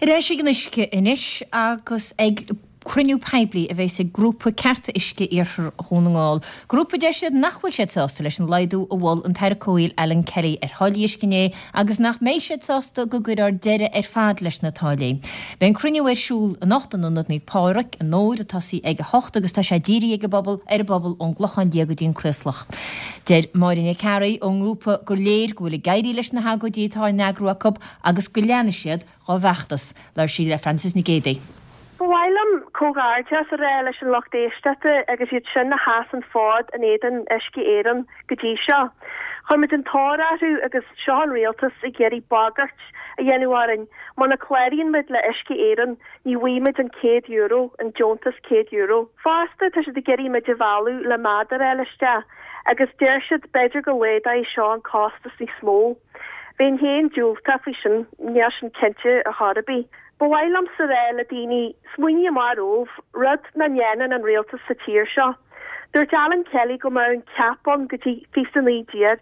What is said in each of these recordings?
Ar ais ag an uisce anois agus ag cruinniú poiblí a bheas ag grúpa Cearta Uisce Iarthar Dhún na nGall, grúpa a deir siad nach bhfuil siad sásta leis an laghdú a mhol an tAire Comhshaoil Alan Kelly ar tháillí uisce inné agus nach mbeidh siad sásta go gcuirfear deireadh ar fad leis na táillí. Beidh an cruinniú ar siúl anocht in Ionad Naomh Pádraig i nDobhar ag tosaí ag 8 agus tá sé dírithe ag an bpobal ar an bpobal ón gClochán Liath go dtí an Craoslach. Deir Máire Nic Fhearraigh ón ngrúpa gur léir go bhfuil ag éirí leis na hagóidí atá á n-eagrú acu agus go leanfaidh siad dhá bhfeachtas. Labhair sí le Frances Nic Géadaigh. Ba mhaith liom comhghairdeas a rá leis an lucht éisteachta agus iad sin a sheas an fód in éadan Uisce Éireann go dtí seo. Chuir muid an tóir orthu agus seo an rialtas ag iarraidh bagairt a dhéanamh orainn, muna cláraíonn muid le Uisce Éireann ní bhfaighidh muid an €100, an deontas €100. Fosta tá siad ag iarraidh muid a mhealladh le méadar a fháil isteach agus deir siad b'fhéidir go laghdóidh seo an costas níos mó. Bheinn féin diúltach faoi sin, níl sin cinnte ar chor ar bith. Ba mhaith liomsa rá le daoine, smaoinigh amach romhaibh, rud nach ndéanann an rialtas sa tír seo. Dúirt Alan Kelly go mbeadh an cap ann go dtí 2019,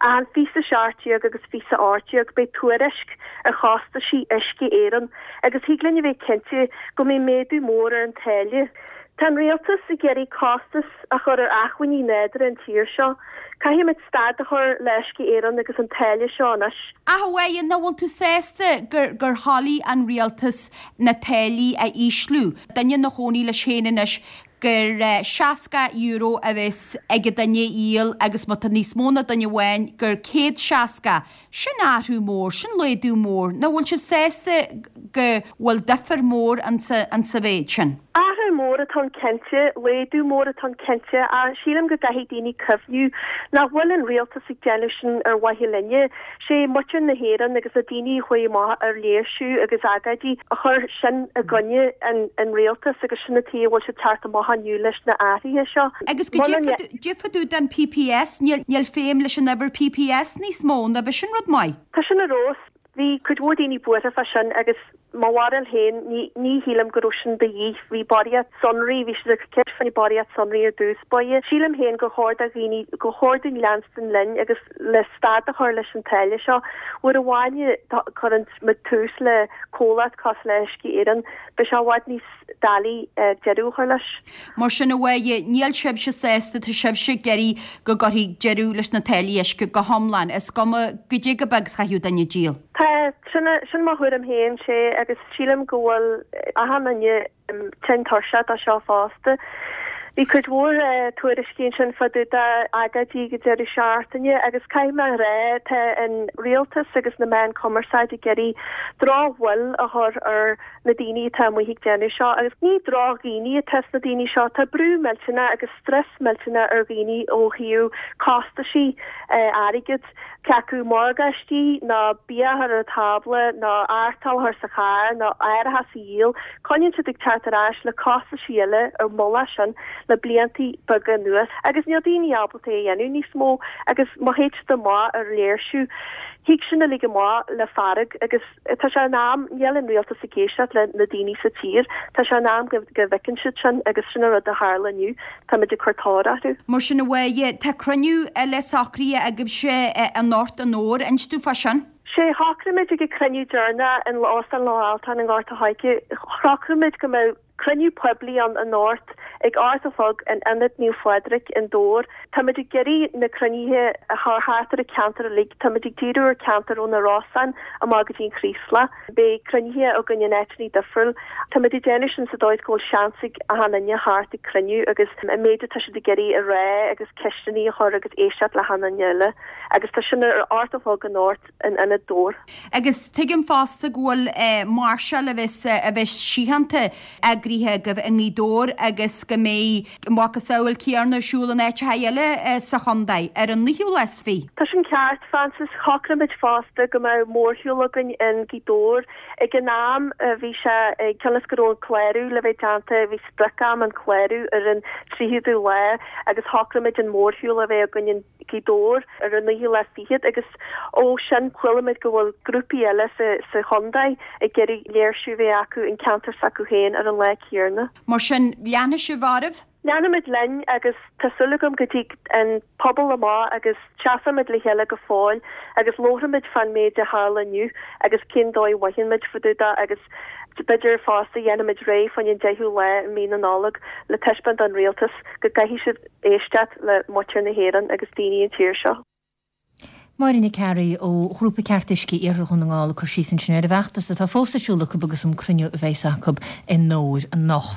ach in 2017 agus 2018 beidh tuairisc ar chostaisí Uisce Éireann agus thig linn a bheith cinnte go mbeidh méadú mór ar an táille. Tá an rialtas ag iarraidh costas a chur ar acmhainní nádúrtha an tír seo. Caithfimid stad a chur le Uisce Éireann agus an táille seo anois. Ach a Mháire, nach bhfuil tú sásta gur gur thoiligh an rialtas na táillí a ísliú? Duine ina chónaí leis féin anois gur €60 a bheas ag an duine a dhíol agus má tá níos mó ná duine amháin gur 160. Sin athrú mór, sin laghdú mór. Nach bhfuil sibh sásta go bhfuil difear mór ansa mhéid sin? Athrú mór atá ann cinnte, laghdú mór atá ann cinnte, ach sílim go gcaithfidh daoine cuimhniú nach bhfuil an rialtas ag déanamh sin ar mhaithe linne. Sé muintir na hÉireann agus na daoine a chuaigh amach ar léirsiú agus agóidí a chuir sin i gcoinne an rialtas agus sin an tuige a bhfuil siad teacht amach inniu leis na athruithe seo. Agus goidé fá dtaobh den PPS, níl feidhm leis an uimhir PPS níos mó, ná b'é sin rud maith? Tá sin ar fheabhas. Bhí cuid mhór daoine buartha fá sin agus mo bharúil féin, ní, ní shílim go raibh sin de dhíth. Bhí barraíocht sonraí, bhí siad ag cur ceist fá barraíocht sonraí ar dtús báire. Sílim féin gur chóir do dhaoine, gur chóir dúinn leanstan linn agus le stad a chur leis an táille seo. Uair amháin a chuireann muid tús le comhlacht cosúil le Uisce Éireann, beidh sé i bhfad níos doiligh deireadh a chur leis. Mar sin, a Mháire, níl sibhse sásta, tá sibhse ag iarraidh go gcuirfí deireadh leis na táillí uisce go hiomlán, is cuma goidé chomh beag is a chaithfeadh duine díol. Tá, sin, sin mo thuairim féin, sé, agus sílim go bhfuil achan duine tinn tuirseach de seo fosta. Bhí cuid mhór tuairiscí ansin fá dtaobh d'agóidí ag an deireadh seachtaine agus caithfidh mé a rá, tá an rialtas agus na meáin cumarsáide ag iarraidh drochbhail a chur ar na daoine atá amuigh ag déanamh seo agus ní drochdhaoine atá sna daoine seo, tá brú millteanach agus strus millteanach ar dhaoine ó thaobh costaisí airgid, cé acu morgáistí nó bia a chur ar an tábla nó artáil a chur sa charr nó árachas a dhíol, coinníonn siad ag teacht ar ais le costaisí eile ar mullach sin le bliantaí beaga anuas agus níl daoine ábalta é a dhéanamh níos mó agus má théid siad amach ar léirsiú thig sin uilig amach le fearg agus Tá sé in am, níl an rialtas ag éisteacht le na daoine sa tír, tá sé in am go bhfeiceann siad sin agus sin an rud a tharla inniu, táimid ag cur tóir orthu. Mar sin a Mháire, tá cruinniú eile socraithe agaibhse anocht i nDobhar, inis dúinn fá sin. Sé, shocraigh muid ag an cruinniú deireanach in Óstán Loch Altáin i nGort a' Choirce, shocraigh muid go mbeadh Cruinniú poiblí ann anocht ag 8 a chlog in Ionad Naomh Phádraig in Dobhar. Táimid ag iarraidh na cruinnithe a chur thart ar an ceantar uilig. Táimid ag díriú ar ceantar ó na Rosann amach go dtí an Chraoslach. Beidh cruinnithe againn in áiteanna difriúil. Táimid ag déanamh sin sa dóigh is go bhfuil seans ag achan duine theacht ag cruinniú agus an méid atá siad ag iarraidh a rá agus ceisteanna a chur agus éisteacht le hachan duine eile. Agus tá sin ar 8 a chlog anocht. in Ionad Dobhar. Agus tuigim fosta go bhfuil máirseáil a bheas a bheas síochánta eagraithe agaibh i nGaoth Dobhair agus go mbeidh a macasamhail céanna ar siúl in áiteacha eile sa chontae ar an naoú lá is fiche. Tá sin ceart, Frances. Shocraigh muid fosta go mbeadh mórshiúl againn in Gaoth Dobhair. Ag an am bhí sé, cionn is go raibh an clárú le bheith déanta, bhí sprioc-am an clárú ar an 30ú lá agus shocraigh muid an mórshiúl a bheith againn in Gaoth Dobhair ar an naoú lá fichead agus ó sin chuala muid go bhfuil grúpaí eile sa chontae ag iarraidh léirsiú a bheith acu in ceantar s'acu féin ar an lá céanna. Mar sin, leanfaidh sibh oraibh? Leanfaimid linn agus tá súil agam go dtig an pobal amach agus seasfaimid le chéile go fóill agus labharfaimid fán méid a tharla inniu agus cén dóigh a mhothaíonn muid fá dtaobh de agus b'fhéidir fosta dhéanfaimid réidh fá choinne an 10ú lá i mí na Nollag le taispeáint don rialtas go gcaithfidh siad éisteacht le muintir na hÉireann agus daoine an tír seo. Máire Nic Fhearraigh ó Ghrúpa Cearta Uisce Iarthar Dhún na nGall ag cur síos ansin ar an bhfeachtas atá fós ar siúl acu agus an cruinniú a bheas acu i nDobhair anocht.